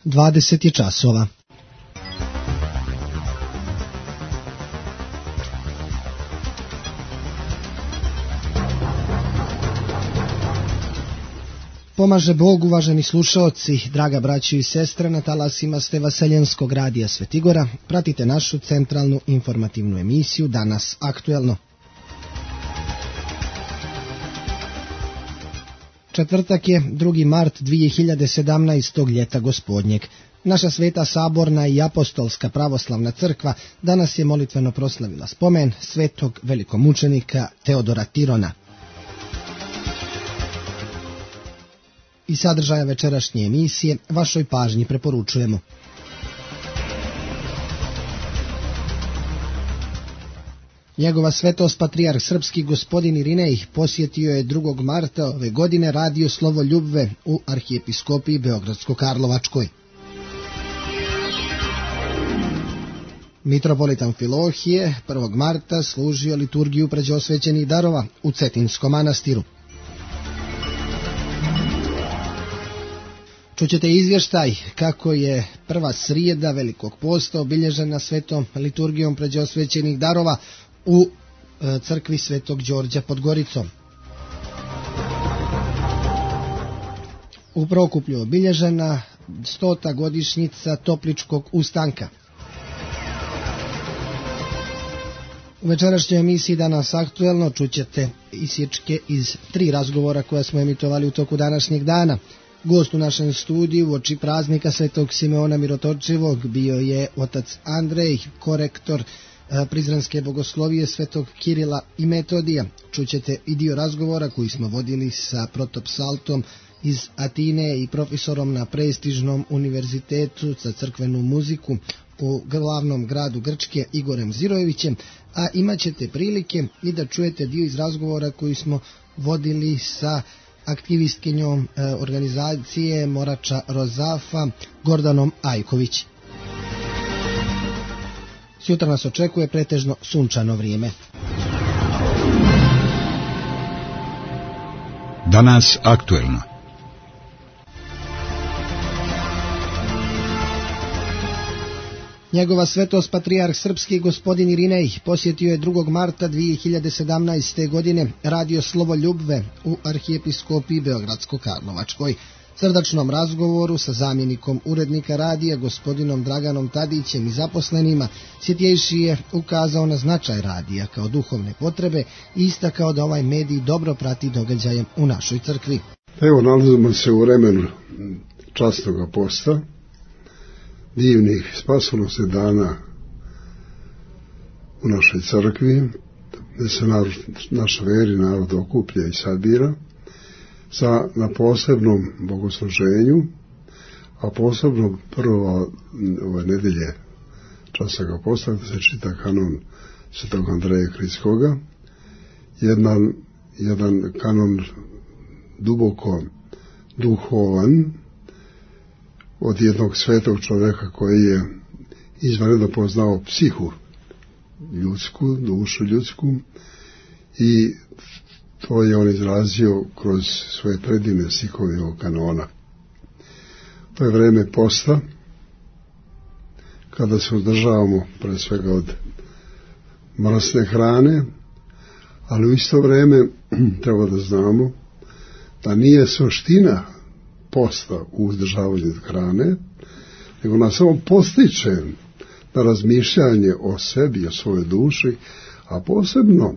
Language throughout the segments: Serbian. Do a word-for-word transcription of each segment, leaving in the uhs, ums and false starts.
dvadeset je časova. Pomaže Bog, uvaženi slušaoci, draga braćo i sestre, na talasima ste Vaseljenskog radija Svetigora. Pratite našu centralnu informativnu emisiju Danas aktuelno. Četvrtak je drugi mart dvije hiljade sedamnaestog ljeta gospodnjeg. Naša sveta saborna i apostolska pravoslavna crkva danas je molitveno proslavila spomen svetog velikomučenika Teodora Tirona. I sadržaja večerašnje emisije vašoj pažnji preporučujemo. Njegova svetost patrijarh srpski gospodin Irinej posjetio je drugog marta ove godine radio Slovo Ljubve u arhijepiskopiji Beogradsko-Karlovačkoj. Mitropolit Amfilohije prvog marta služio liturgiju pređosvećenih darova u Cetinskom manastiru. Čućete izvještaj kako je prva srijeda Velikog posta obilježena svetom liturgijom pređosvećenih darova u crkvi Svetog Đorđa pod Goricom. U Prokuplju obilježena stota godišnjica Topličkog ustanka. U večerašnjoj emisiji Danas aktuelno čućete isječke iz tri razgovora koja smo emitovali u toku današnjeg dana. Gost u našem studiju uoči praznika Svetog Simeona Mirotočivog bio je otac Andrej, korektor Prizrenske bogoslovije Svetog Kirila i Metodija. Čućete i dio razgovora koji smo vodili sa protopsaltom iz Atine i profesorom na prestižnom univerzitetu za crkvenu muziku u glavnom gradu Grčke Igorem Zirojevićem, a imat ćete prilike i da čujete dio iz razgovora koji smo vodili sa aktivistkinjom e, organizacije Morača Rozafa Gordanom Ajković. Sutra nas očekuje pretežno sunčano vrijeme. Danas aktuelno. Njegova svetost patrijarh srpski gospodin Irinej posjetio je drugog marta dvije hiljade sedamnaeste. godine radio Slovo Ljubve u arhijepiskopiji Beogradsko-Karlovačkoj. Srdačnom razgovoru sa zamjenikom urednika radija gospodinom Draganom Tadićem i zaposlenima Svjetjejši je ukazao na značaj radija kao duhovne potrebe i istakao da ovaj medij dobro prati događaje u našoj crkvi. Evo, nalazimo se u vremenu časnog posta, divnih spasonosnih dana u našoj crkvi, gdje se narod, naša veri narod okuplja i sabira sa, na posebnom bogosluženju, a posebno prvo ove nedelje časnog posta gdje se čita kanon Svetog Andreja Kritskoga, jedan, jedan kanon duboko duhovan, od jednog svetog čovjeka koji je izvanredno poznao psihu ljudsku, dušu ljudsku, i to je on izrazio kroz svoje predivne stihove ovog kanona. To je vreme posta, kada se uzdržavamo pre svega od mrsne hrane, ali u isto vrijeme treba da znamo da nije suština posta u uzdržavanju od hrane, nego nas samo postiče na razmišljanje o sebi, o svojoj duši, a posebno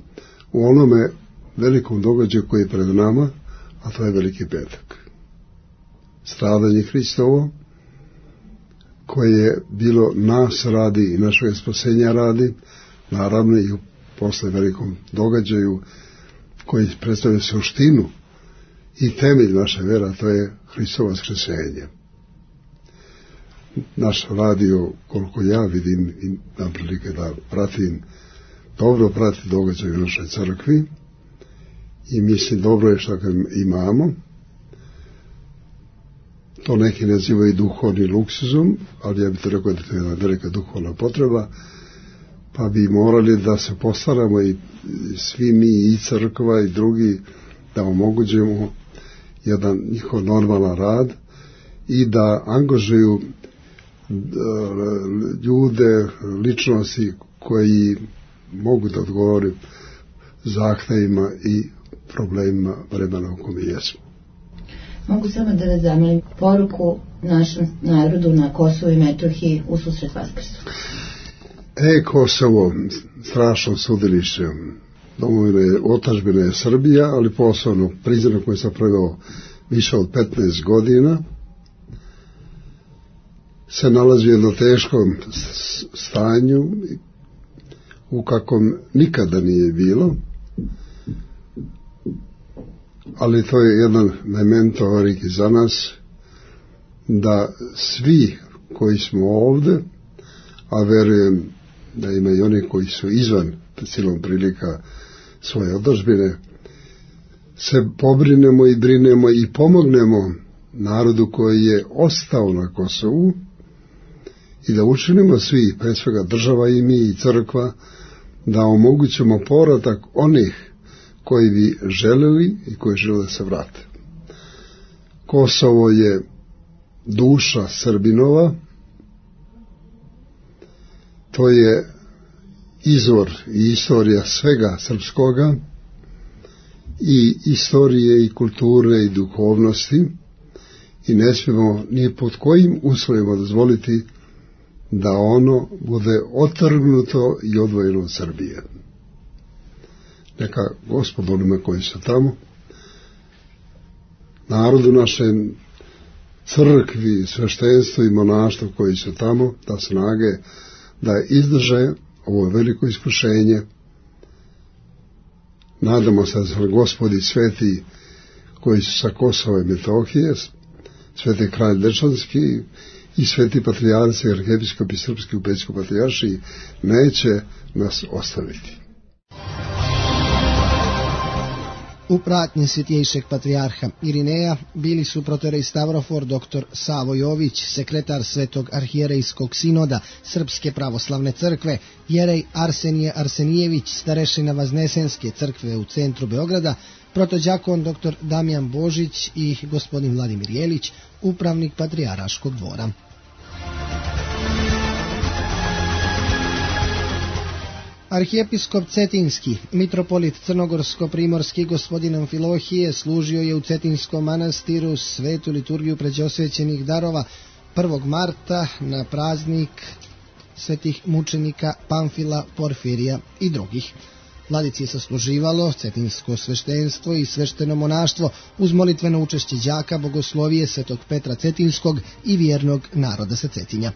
u onome velikom događaju koji je pred nama, a to je Veliki petak. Stradanje Hristovo, koje je bilo nas radi i našeg spasenja radi, naravno i posle velikom događaju koji predstavlja suštinu i temelj naše vera, to je Hristovo vaskresenje. Naš radio, koliko ja vidim i imam prilike da pratim, dobro prati događaj u našoj crkvi i mislim dobro je što ga imamo. To neki nazivaju duhovni luksuzom, ali ja bih to rekao da to je jedna velika duhovna potreba, pa bi morali da se postaramo i svi mi i crkva i drugi da omogućemo jedan njihov normalan rad i da angažuju ljude, ličnosti koji mogu da odgovore zahtevima i problemima vremena u kome jesmo. Mogu samo da vas zamolim poruku našem narodu na Kosovu i Metohiji u susret Vaskrsu. E, Kosovo, strašno sudilište, domovine, otadžbina je Srbija, ali posebno priznanak koji sam proveo više od petnaest godina, se nalazi u jednom teškom stanju u kakvom nikada nije bilo, ali to je jedan memento origi za nas, da svi koji smo ovde, a verujem da ima i oni koji su izvan silom prilika svoje otadžbine, se pobrinemo i brinemo i pomognemo narodu koji je ostao na Kosovu i da učinimo svi, pre svega država i mi i crkva, da omogućemo povratak onih koji bi želeli i koji žele da se vrate. Kosovo je duša Srbinova, to je izvor i istorija svega srpskoga, i istorije i kulture i duhovnosti, i ne smijemo ni pod kojim uslovima dozvoliti da ono bude otrgnuto i odvojeno od Srbije. Neka Gospod onima koji su tamo, narodu našem, crkvi, sveštenstvu i monaštvu koji su tamo, da snage da izdrže ovo veliko iskušenje. Nadamo se da su Gospodi sveti koji su sa Kosova i Metohije, sveti kralj Dečanski i sveti patrijarci, arhijepiskopi srpski u Pećkoj patrijaršiji neće nas ostaviti. U pratnji svjetjejšeg patrijarha Irineja bili su protorej Stavrofor dr. Savo Jović, sekretar Svetog arhijerejskog sinoda Srpske pravoslavne crkve, jerej Arsenije Arsenijević, starešina Vaznesenske crkve u centru Beograda, protođakon dr. Damjan Božić i gospodin Vladimir Jelić, upravnik Patrijaraškog dvora. Arhijepiskop Cetinski, mitropolit Crnogorsko-primorski gospodin Amfilohije, služio je u Cetinskom manastiru svetu liturgiju pređosvećenih darova prvog marta na praznik svetih mučenika Pamfila, Porfirija i drugih. Vladici je sasluživalo cetinsko sveštenstvo i svešteno monaštvo uz molitveno učešće đaka bogoslovije svetog Petra Cetinskog i vjernog naroda sa Cetinja.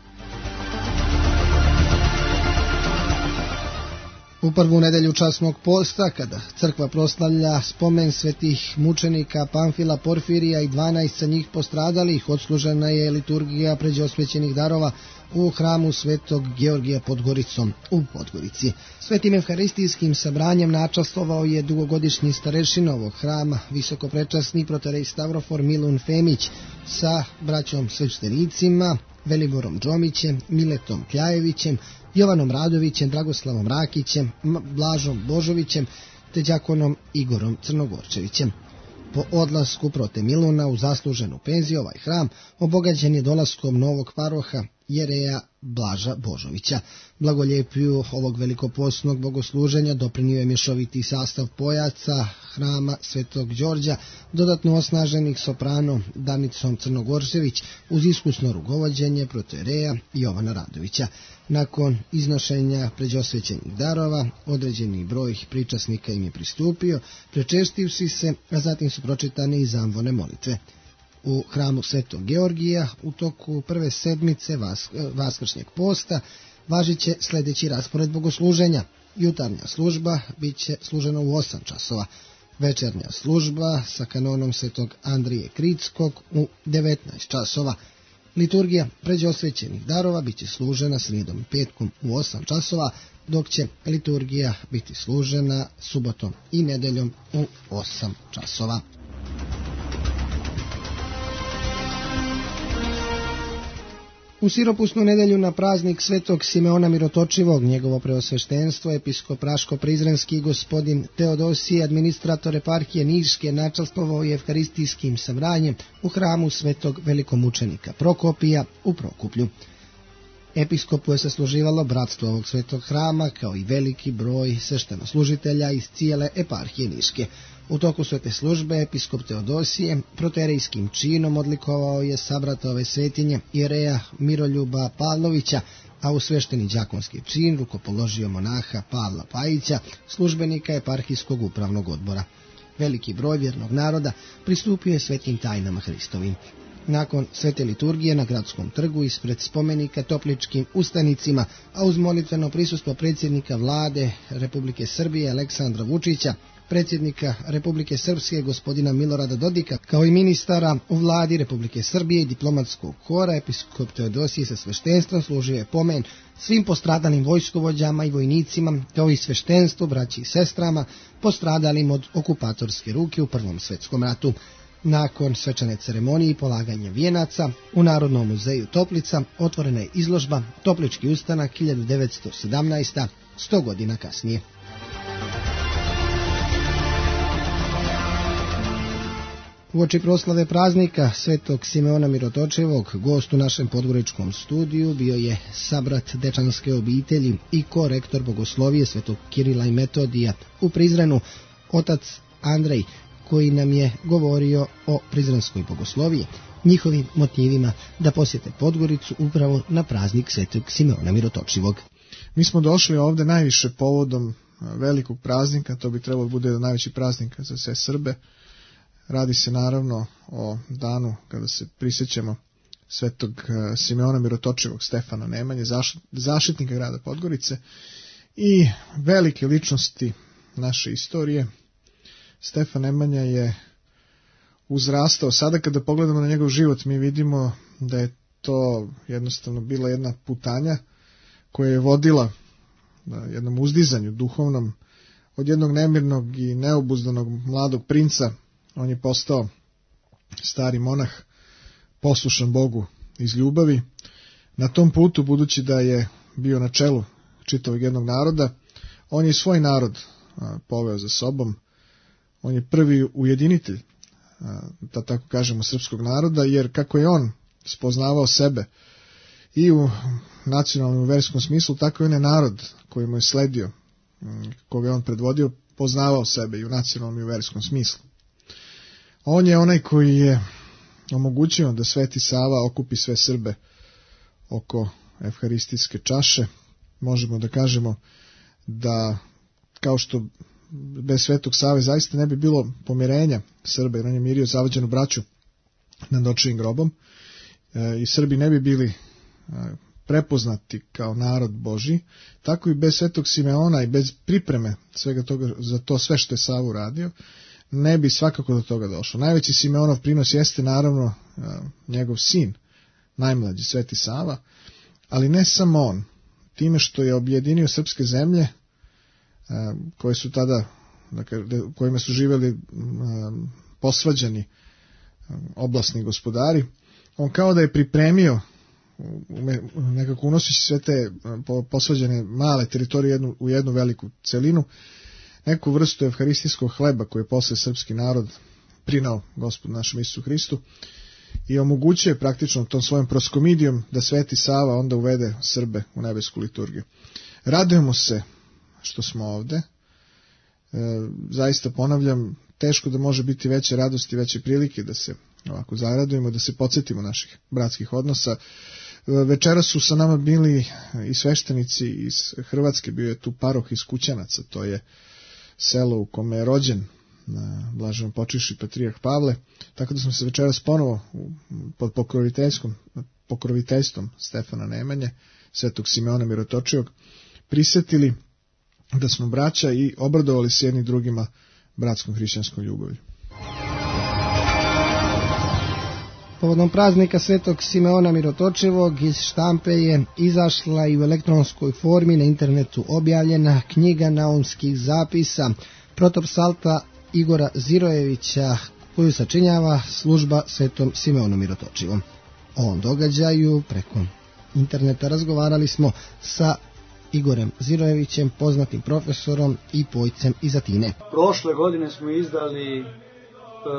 U prvu nedelju časnog posta, kada crkva proslavlja spomen svetih mučenika Pamfila, Porfirija i dvanaest sa njih postradalih, odslužena je liturgija pređosvećenih darova u hramu svetog Georgija pod Goricom u Podgorici. Svetim evharistijskim sabranjem načastvovao je dugogodišnji starešina ovog hrama, visokoprečasni protorej Stavrofor Milun Femić sa braćom sveštenicima Veliborom Džomićem, Miletom Kljajevićem, Jovanom Radovićem, Dragoslavom Rakićem, Blažom Božovićem te đakonom Igorom Crnogorčevićem. Po odlasku prote Miluna u zasluženu penziju ovaj hram obogaćen je dolaskom novog paroha jereja Blaža Božovića. Blagoljepiju ovog velikoposnog bogosluženja doprinio je mješoviti sastav pojaca hrama Svetog Đorđa, dodatno osnaženih sopranom Danicom Crnogorčević uz iskusno rukovođenje protojereja Jovana Radovića. Nakon iznošenja pređosvećenih darova, određeni broj pričasnika im je pristupio, prečestivši se, a zatim su pročitane i zamvone molitve. U hramu Svetog Georgija u toku prve sedmice vas, vaskršnjeg posta važit će sljedeći raspored bogosluženja. Jutarnja služba bit će služena u osam časova, večernja služba sa kanonom Svetog Andrije Kritskog u devetnaest časova. Liturgija pređosvećenih darova bit će služena srijedom i petkom u osam časova, dok će liturgija biti služena subotom i nedeljom u osam časova. U siropusnu nedelju na praznik svetog Simeona Mirotočivog, njegovo preosveštenstvo, episkop Raško-Prizrenski gospodin Teodosije, administrator eparhije Niške, načastvovao je evharistijskim sabranjem u hramu svetog velikomučenika Prokopija u Prokuplju. Episkopu je sasluživalo bratstvo ovog svetog hrama, kao i veliki broj sveštenoslužitelja iz cijele eparhije Niške. U toku svete službe episkop Teodosije proterijskim činom odlikovao je sabrata ove svetinje jereja Miroljuba Pavlovića, a u svešteni đakonski čin rukopoložio monaha Pavla Pajića, službenika eparhijskog upravnog odbora. Veliki broj vjernog naroda pristupio je svetim tajnama Hristovim. Nakon svete liturgije na gradskom trgu ispred spomenika Topličkim ustanicima, a uz molitveno prisustvo predsjednika vlade Republike Srbije Aleksandra Vučića, predsjednika Republike Srpske gospodina Milorada Dodika, kao i ministara u vladi Republike Srbije i diplomatskog kora, episkop Teodosije sa sveštenstvom služio je pomen svim postradalim vojskovođama i vojnicima, kao i sveštenstvu, braći i sestrama, postradalim od okupatorske ruke u Prvom svetskom ratu. Nakon svečane ceremonije i polaganja vijenaca, u Narodnom muzeju Toplica otvorena je izložba Toplički ustanak hiljadu devetsto sedamnaesta. sto godina kasnije. Uoči proslave praznika svetog Simeona Mirotočivog, gost u našem podgoričkom studiju bio je sabrat dečanske obitelji i korektor bogoslovije svetog Kirila i Metodija u Prizrenu, otac Andrej, koji nam je govorio o prizrenskoj bogosloviji, njihovim motivima da posjete Podgoricu upravo na praznik svetog Simeona Mirotočivog. Mi smo došli ovde najviše povodom velikog praznika, to bi trebalo bude najveći praznik za sve Srbe. Radi se naravno o danu kada se prisjećamo svetog Simeona Mirotočivog, Stefana Nemanje, zaštitnika grada Podgorice i velike ličnosti naše istorije. Stefan Nemanja je uzrastao. Sada kada pogledamo na njegov život, mi vidimo da je to jednostavno bila jedna putanja koja je vodila jednom uzdizanju duhovnom. Od jednog nemirnog i neobuzdanog mladog princa on je postao stari monah, poslušan Bogu iz ljubavi. Na tom putu, budući da je bio na čelu čitavog jednog naroda, on je svoj narod poveo za sobom. On je prvi ujedinitelj, da tako kažemo, srpskog naroda, jer kako je on spoznavao sebe i u nacionalnom i verskom smislu, tako i on je narod koji mu je sledio, koga je on predvodio, poznavao sebe i u nacionalnom i u verskom smislu. On je onaj koji je omogućio da Sveti Sava okupi sve Srbe oko evharistijske čaše. Možemo da kažemo da, kao što bez Svetog Save zaista ne bi bilo pomirenja Srba, jer on je mirio zavađenu braću nad očevim grobom, e, i Srbi ne bi bili e, prepoznati kao narod Božji, tako i bez Svetog Simeona i bez pripreme svega toga, za to sve što je Sava uradio, ne bi svakako do toga došlo. Najveći Simeonov prinos jeste naravno e, njegov sin, najmlađi Sveti Sava, ali ne samo on, time što je objedinio srpske zemlje koje su tada, dakle, kojima su živjeli posvađani oblasni gospodari, on kao da je pripremio, nekako unoseći sve te posvađane male teritorije jednu, u jednu veliku celinu, neku vrstu evharistijskog hleba koji je posle srpski narod prinao Gospodu našem Isusu Hristu i omogućuje praktično tom svojom proskomidijom da Sveti Sava onda uvede Srbe u nebesku liturgiju. Radujemo se što smo ovde. E, zaista ponavljam, teško da može biti veće radosti, veće prilike da se ovako zaradujemo, da se podsjetimo naših bratskih odnosa. E, večera su sa nama bili i sveštenici iz Hrvatske, bio je tu paroh iz Kućanaca, to je selo u kome je rođen blaženo počivši patrijarh Pavle, tako da smo se večeras ponovo pod pokroviteljstvom, pokroviteljstvom Stefana Nemanje, svetog Simeona Mirotočivog, prisjetili da smo braća i obradovali se jedni drugima bratskom hrišćanskom ljubavlju. Povodom praznika svetog Simeona Mirotočivog iz štampe je izašla i u elektronskoj formi na internetu objavljena knjiga naumskih zapisa protopsalta Igora Zirojevića, koju sačinjava služba svetom Simeonu Mirotočivom. O ovom događaju preko interneta. Razgovarali smo sa Igorem Zirojevićem, poznatim profesorom i pojcem iz Atine. Prošle godine smo izdali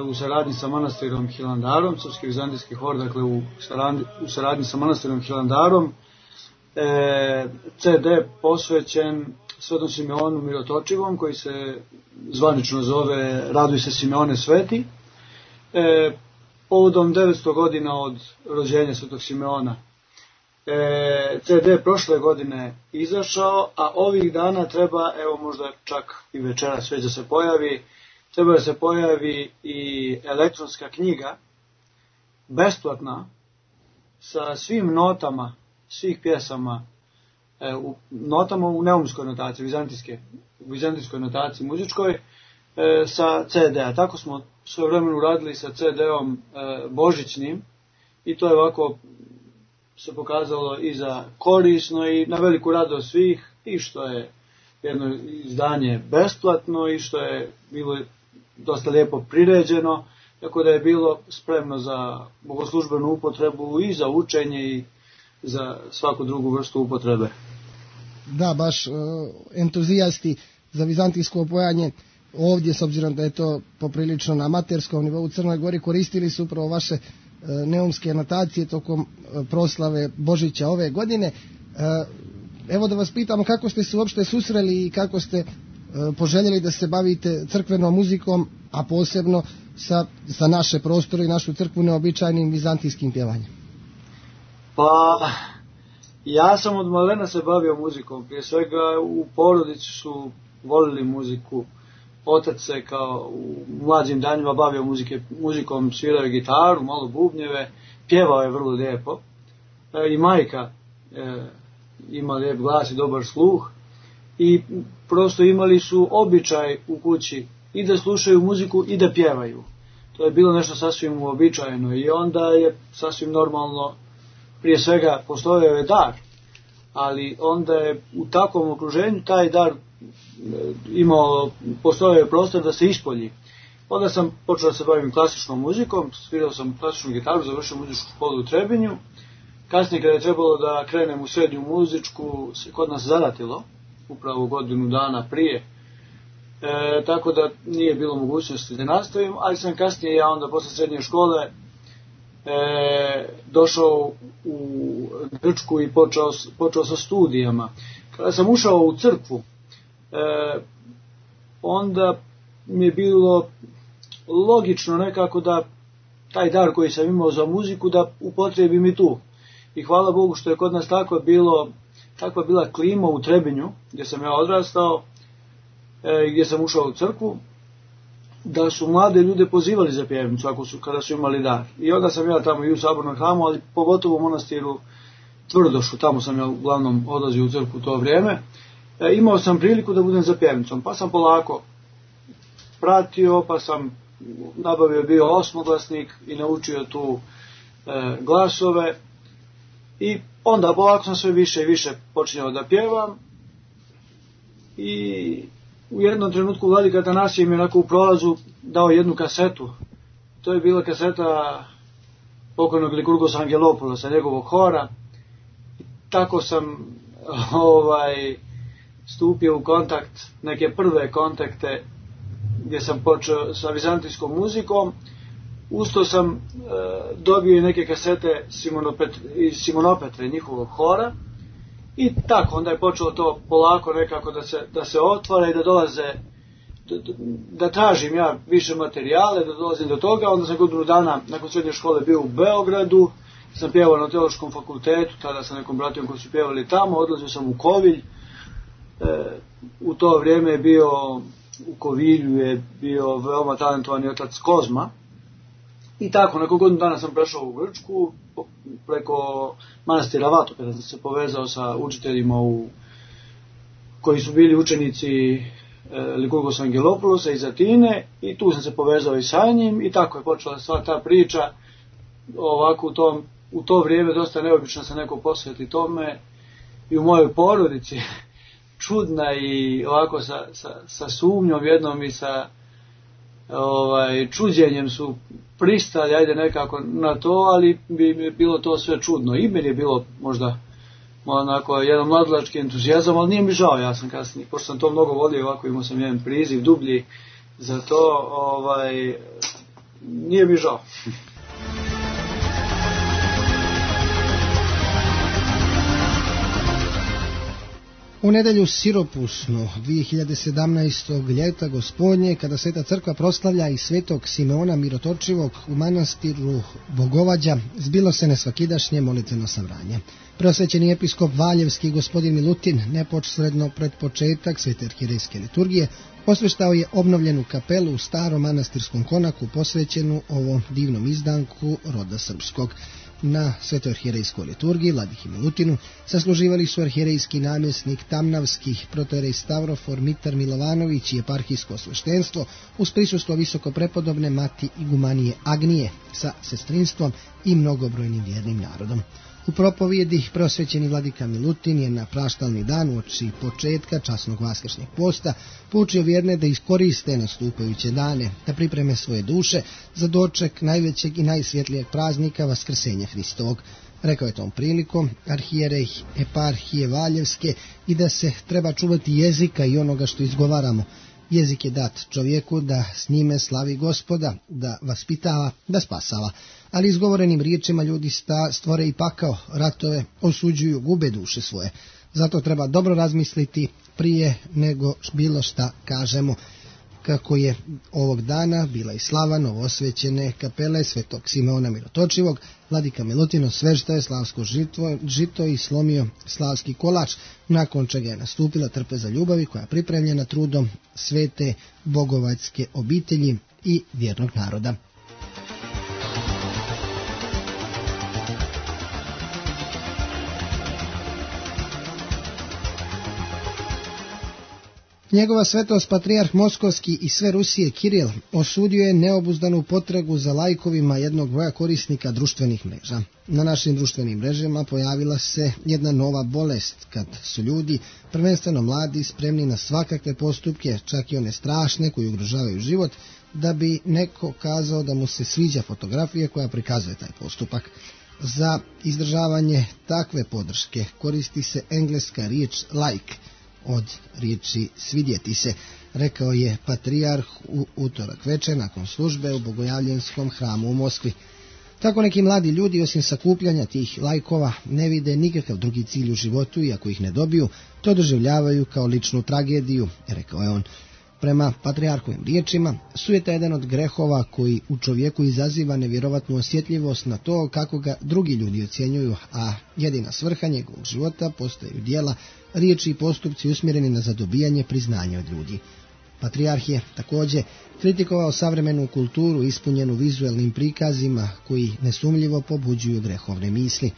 u saradnji sa manastirom Hilandarom, Srpski vizantijski hor, dakle u saradnji, u saradnji sa manastirom Hilandarom, e, ce de posvećen Svetom Simeonu Mirotočivom, koji se zvanično zove Raduj se Simeone Sveti, e, povodom devetsto godina od rođenja Svetog Simeona. E, ce de prošle godine izašao, a ovih dana treba, evo možda čak i večeras već da se pojavi, treba da se pojavi i elektronska knjiga, besplatna, sa svim notama, svih pjesama, e, u, notama u neumskoj notaciji, vizantijske, u vizantijskoj notaciji muzičkoj, e, sa ce de a. Tako smo svoje vremenu radili sa ce de-om e, božićnim, i to je ovako se pokazalo i za korisno i na veliku radost svih, i što je jedno izdanje besplatno i što je bilo dosta lijepo priređeno, tako da je bilo spremno za bogoslužbenu upotrebu i za učenje i za svaku drugu vrstu upotrebe. Da, baš uh, entuzijasti za vizantijsko opojanje ovdje, s obzirom da je to poprilično na amaterskom nivou u Crnoj Gori, koristili su upravo vaše uh, neumske notacije tokom uh, proslave Božića ove godine. Uh, evo da vas pitamo kako ste se uopšte susreli i kako ste uh, poželjeli da se bavite crkvenom muzikom, a posebno sa, sa naše prostore i našu crkvu neobičajnim vizantijskim pjevanjem. Pa, ja sam od malena se bavio muzikom. Prije svega u porodici su volili muziku. Otac se kao u mlađim danima bavio muzike, muzikom, svirao je gitaru, malo bubnjeve, pjevao je vrlo lijepo. E, I majka e, ima lijep glas i dobar sluh. I prosto imali su običaj u kući i da slušaju muziku i da pjevaju. To je bilo nešto sasvim uobičajeno i onda je sasvim normalno, prije svega postojao je dar, ali onda je u takvom okruženju taj dar imao, postojao je prostor da se ispolji. Onda sam počeo da se bavim klasičnom muzikom, svirao sam klasičnu gitaru, završio muzičku školu u Trebinju. Kasnije kada je trebalo da krenem u srednju muzičku, se kod nas zaratilo, upravo godinu dana prije, e, tako da nije bilo mogućnosti da nastavim, ali sam kasnije ja onda posle srednje škole e, došao u Grčku i počeo, počeo sa studijama. Kada sam ušao u crkvu, e, onda mi je bilo logično nekako da taj dar koji sam imao za muziku da upotrijebim i tu. I hvala Bogu što je kod nas tako bilo, takva bila klima u Trebinju, gdje sam ja odrastao, e, gdje sam ušao u crkvu, da su mlade ljude pozivali za pjevnicu ako su, kada su imali dar. I onda sam ja tamo i u sabornom hramu, ali pogotovo u monastiru Tvrdošu, tamo sam ja uglavnom odlazio u crkvu u to vrijeme, e, imao sam priliku da budem za pjevnicom, pa sam polako pratio, pa sam nabavio bio osmoglasnik i naučio tu e, glasove. I onda polako sam sve više i više počinjao da pjevam i u jednom trenutku vladika Atanasije mi je onako u prolazu dao jednu kasetu. To je bila kaseta pokojnog Likurgosa Angelopoulosa, njegovog hora. I tako sam ovaj, stupio u kontakt, neke prve kontakte gdje sam počeo sa vizantijskom muzikom. Usto sam e, dobio i neke kasete Simonopet, iz Simonopetre, njihovog hora, i tako onda je počelo to polako nekako da se, da se otvara i da dolaze, da, da tražim ja više materijale, da dolazim do toga. Onda sam godinu dana nakon srednje škole bio u Beogradu, sam pjevao na Teološkom fakultetu, tada sa nekom bratijom koji su pjevali tamo, odlazio sam u Kovilj, e, u to vrijeme je bio, u Kovilju je bio veoma talentovani otac Kozma. I tako, nakon godinu dana sam prešao u Grčku, preko manastira Vato, kada sam se povezao sa učiteljima u, koji su bili učenici e, Likurgosa Angelopoulosa iz Atine, i tu sam se povezao i sa njim, i tako je počela sva ta priča, ovako u, tom, u to vrijeme dosta neobično se neko posveti tome, i u mojoj porodici, čudna i ovako sa, sa, sa sumnjom jednom i sa ovaj, čuđenjem su pristali, ajde nekako na to, ali bi mi bilo to sve čudno. I meni je bilo možda onako jedan mladlački entuzijazam, ali nije mi žao, ja sam kasnije, pošto sam to mnogo volio, ovako imao sam jedan priziv dublji za to, ovaj, nije mi žao. U nedelju siropusnu dvije hiljade sedamnaestog ljeta gospodnje, kada Sveta crkva proslavlja i svetog Simeona Mirotočivog u manastiru Bogovađa, zbilo se nesvakidašnje molitveno sabranje. Preosvećeni episkop Valjevski gospodin Milutin, neposredno pred početak Svete arhierejske liturgije, osveštao je obnovljenu kapelu u starom manastirskom konaku posvećenu ovom divnom izdanku roda srpskog. Na Svetoj arhierejskoj liturgiji Vladiki Milutinu sasluživali su arhierejski namjesnik Tamnavskih, protojerej Stavrofor Mitar Milovanović i eparhijsko sveštenstvo uz prisustvo visoko prepodobne mati igumanije Agnije sa sestrinstvom i mnogobrojnim vjernim narodom. U propovjedi preosvećeni vladika Milutin je na praštalni dan uoči početka časnog vaskršnjeg posta poučio vjerne da iskoriste nastupajuće dane, da pripreme svoje duše za doček najvećeg i najsvjetlijeg praznika Vaskrsenja Hristovog. Rekao je tom prilikom arhijerej eparhije Valjevske i da se treba čuvati jezika i onoga što izgovaramo. Jezik je dat čovjeku da s njime slavi Gospoda, da vaspitava, da spasava. Ali izgovorenim riječima ljudi sta stvore i pakao, ratove, osuđuju, gube duše svoje. Zato treba dobro razmisliti prije nego bilo šta kažemo. Kako je ovog dana bila i slava novosvećene kapele Svetog Simeona Mirotočivog, vladika Milutin osvežtao je slavsko žito, žito i slomio slavski kolač, nakon čega je nastupila trpeza ljubavi koja je pripremljena trudom svete bogovačke obitelji i vjernog naroda. Njegova svetost patrijarh Moskovski i sve Rusije Kiril osudio je neobuzdanu potragu za lajkovima jednog broja korisnika društvenih mreža. Na našim društvenim mrežama pojavila se jedna nova bolest kad su ljudi, prvenstveno mladi, spremni na svakakve postupke, čak i one strašne koji ugrožavaju život, da bi neko kazao da mu se sviđa fotografija koja prikazuje taj postupak. Za izdržavanje takve podrške koristi se engleska riječ like, od riječi svidjeti se, rekao je patrijarh u utorak večer nakon službe u Bogojavljenskom hramu u Moskvi. Tako neki mladi ljudi osim sakupljanja tih lajkova ne vide nikakav drugi cilj u životu i ako ih ne dobiju, to doživljavaju kao ličnu tragediju, rekao je on. Prema patrijarhovim riječima, sujeta je jedan od grehova koji u čovjeku izaziva nevjerovatnu osjetljivost na to kako ga drugi ljudi ocjenjuju, a jedina svrha njegovog života postaju djela, riječi i postupci usmjereni na zadobijanje priznanja od ljudi. Patrijarh je također kritikovao savremenu kulturu ispunjenu vizuelnim prikazima koji nesumljivo pobuđuju grehovne misli.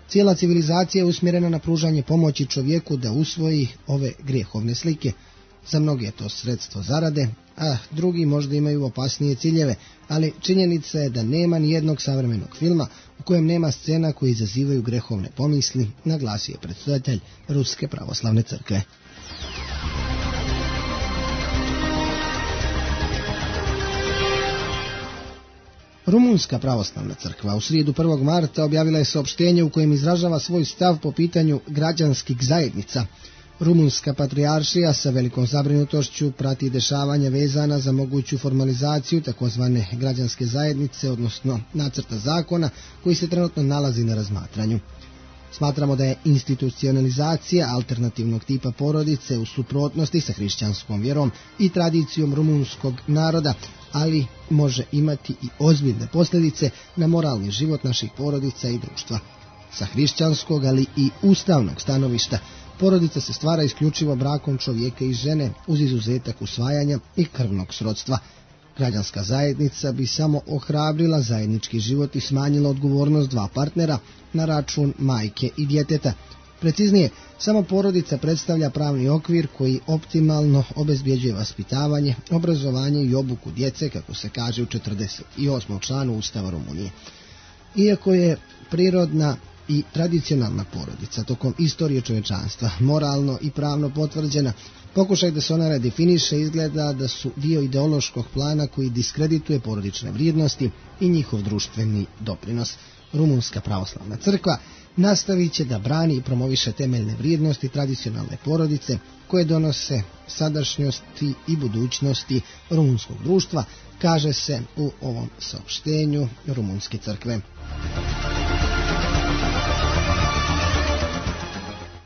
Cijela civilizacija je usmjerena na pružanje pomoći čovjeku da usvoji ove grehovne slike. Za mnoge je to sredstvo zarade, a drugi možda imaju opasnije ciljeve, ali činjenica je da nema ni jednog savremenog filma u kojem nema scena koje izazivaju grehovne pomisli, naglasio je predsjedatelj Ruske pravoslavne crkve. Rumunjska pravoslavna crkva u srijedu prvog marta objavila je saopštenje u kojem izražava svoj stav po pitanju građanskih zajednica. Rumunjska patrijaršija sa velikom zabrinutošću prati dešavanja vezana za moguću formalizaciju takozvane građanske zajednice, odnosno nacrta zakona koji se trenutno nalazi na razmatranju. Smatramo da je institucionalizacija alternativnog tipa porodice u suprotnosti sa hrišćanskom vjerom i tradicijom rumunskog naroda, ali može imati i ozbiljne posljedice na moralni život naših porodica i društva. Sa hrišćanskog, ali i ustavnog stanovišta, porodica se stvara isključivo brakom čovjeka i žene uz izuzetak usvajanja i krvnog srodstva. Građanska zajednica bi samo ohrabrila zajednički život i smanjila odgovornost dva partnera na račun majke i djeteta. Preciznije, samo porodica predstavlja pravni okvir koji optimalno obezbjeđuje vaspitavanje, obrazovanje i obuku djece, kako se kaže u četrdeset osmom članu Ustava Rumunije. Iako je prirodna i tradicionalna porodica tokom istorije čovečanstva, moralno i pravno potvrđena. Pokušaj da se ona redefiniše izgleda da su dio ideološkog plana koji diskredituje porodične vrijednosti i njihov društveni doprinos. Rumunska pravoslavna crkva nastavit će da brani i promoviše temeljne vrijednosti tradicionalne porodice koje donose sadašnjosti i budućnosti rumunskog društva, kaže se u ovom saopštenju Rumunske crkve.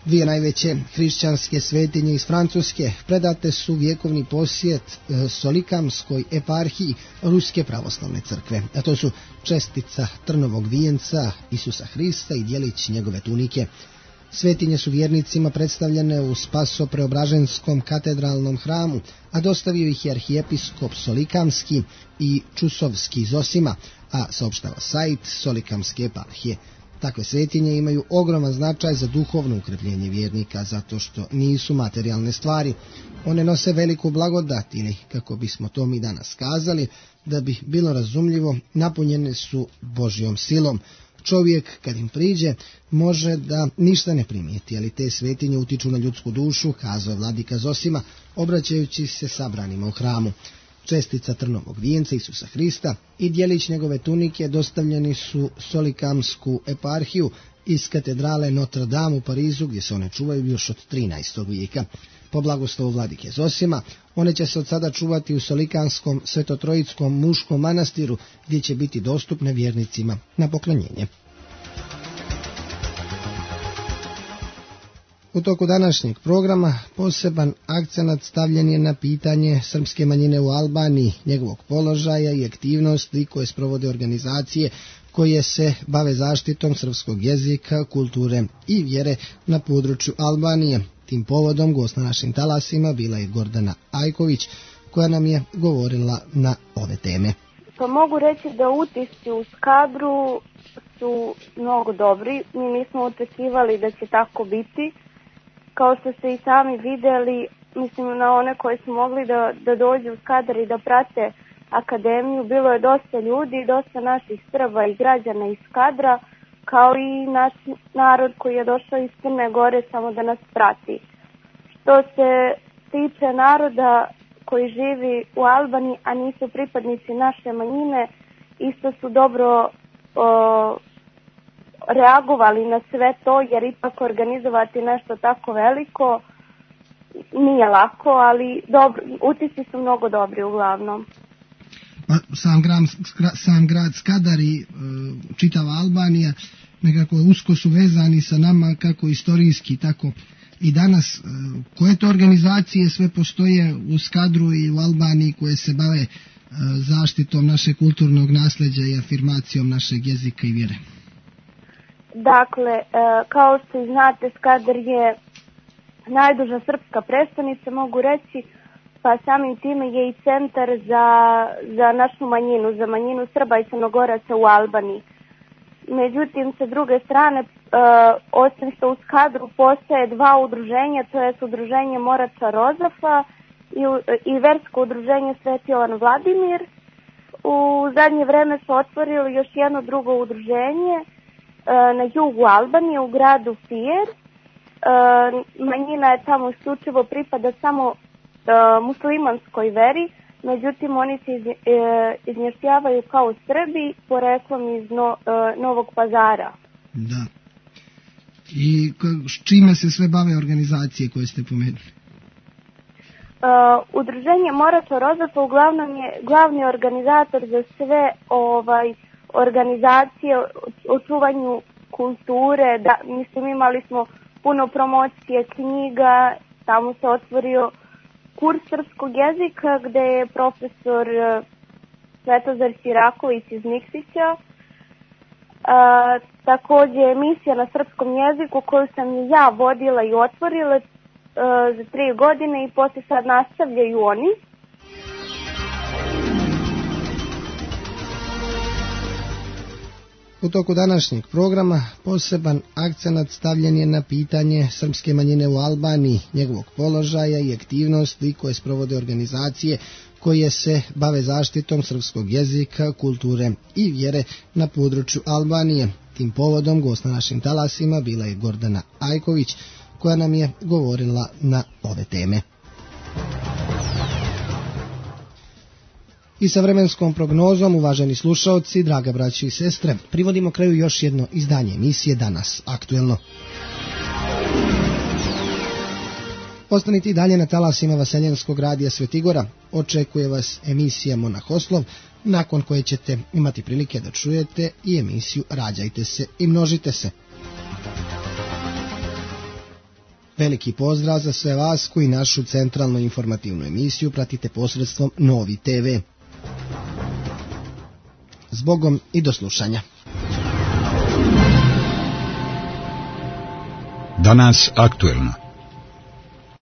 Dvije najveće hrišćanske svetinje iz Francuske predate su vjekovni posjet Solikamskoj eparhiji Ruske pravoslavne crkve, a to su čestica trnovog vijenca Isusa Hrista i djelić njegove tunike. Svetinje su vjernicima predstavljene u Spaso-Preobraženskom katedralnom hramu, a dostavio ih je arhijepiskop Solikamski i Čusovski iz Osima, a saopštava sajt Solikamske eparhije. Takve svetinje imaju ogroman značaj za duhovno ukrepljenje vjernika, zato što nisu materijalne stvari. One nose veliku blagodat ili, kako bismo to mi danas kazali, da bi bilo razumljivo, napunjene su Božjom silom. Čovjek, kad im priđe, može da ništa ne primijeti, ali te svetinje utiču na ljudsku dušu, kazao je vladika Zosima, obraćajući se sabranima u hramu. Čestica trnovog vijenca Isusa Hrista i djelić njegove tunike dostavljeni su Solikamsku eparhiju iz katedrale Notre Dame u Parizu, gdje se one čuvaju još od trinaestog vijeka. Po blagoslovu vladike Zosima, one će se od sada čuvati u Solikanskom svetotrojickom muškom manastiru, gdje će biti dostupne vjernicima na poklonjenje. U toku današnjeg programa poseban akcenat stavljen je na pitanje srpske manjine u Albaniji, njegovog položaja i aktivnosti koje sprovode organizacije koje se bave zaštitom srpskog jezika, kulture i vjere na području Albanije. Tim povodom gost na našim talasima bila je Gordana Ajković, koja nam je govorila na ove teme. Pa mogu reći da utisci u Skadru su mnogo dobri. Mi nismo očekivali da će tako biti. Kao što ste i sami vidjeli, mislim na one koji su mogli da, da dođu u Skadar i da prate akademiju, bilo je dosta ljudi, dosta naših Srba i građana iz Skadra, kao i naš narod koji je došao iz Crne Gore samo da nas prati. Što se tiče naroda koji živi u Albaniji, a nisu pripadnici naše manjine, isto su dobro o, reagovali na sve to, jer ipak organizovati nešto tako veliko nije lako, ali dobro, utisci su mnogo dobri uglavnom. Sam grad, sam grad Skadar i e, čitava Albanija nekako usko su vezani sa nama kako istorijski, tako i danas. E, koje to organizacije sve postoje u Skadru i u Albaniji koje se bave e, zaštitom našeg kulturnog nasljeđa i afirmacijom našeg jezika i vjere? Dakle, e, kao što i znate, Skadar je najduža srpska prestolnica, mogu reći, pa samim time je i centar za, za našu manjinu, za manjinu Srba i Crnogoraca u Albaniji. Međutim, sa druge strane, e, osim što u Skadru postoje dva udruženja, to je udruženje Morača Rozafa i, i versko udruženje Sveti Jovan Vladimir. U zadnje vreme su otvorili još jedno drugo udruženje e, na jugu Albanije, u gradu Fijer. E, manjina je tamo isključivo pripada samo muslimanskoj veri, međutim oni se iz, e, izmještavaju kao Srbi poreklom iz no, e, Novog Pazara. Da. I s čime se sve bave organizacije koje ste pomenuli? E, udruženje Morača Rozafa uglavnom je glavni organizator za sve ovaj organizacije o čuvanju kulture. Da, mislim, imali smo puno promocije knjiga, tamo se otvorio kurs srpskog jezika gde je profesor Svetozar Siraković iz Nikšića. E, također emisija na srpskom jeziku koju sam ja vodila i otvorila e, za tri godine i poslije sad nastavljaju oni. U toku današnjeg programa poseban akcenat stavljen je na pitanje srpske manjine u Albaniji, njegovog položaja i aktivnosti koje sprovode organizacije koje se bave zaštitom srpskog jezika, kulture i vjere na području Albanije. Tim povodom gost na našim talasima bila je Gordana Ajković, koja nam je govorila na ove teme. I sa vremenskom prognozom, uvaženi slušaoci, draga braći i sestre, privodimo kraju još jedno izdanje emisije Danas aktuelno. Ostanite i dalje na talasima Vaseljenskog radija Svetigora. Očekuje vas emisija Monahoslov, nakon koje ćete imati prilike da čujete i emisiju Rađajte se i množite se. Veliki pozdrav za sve vas koji našu centralnu informativnu emisiju pratite posredstvom Novi te ve. Zbogom i do slušanja. Danas aktuelno.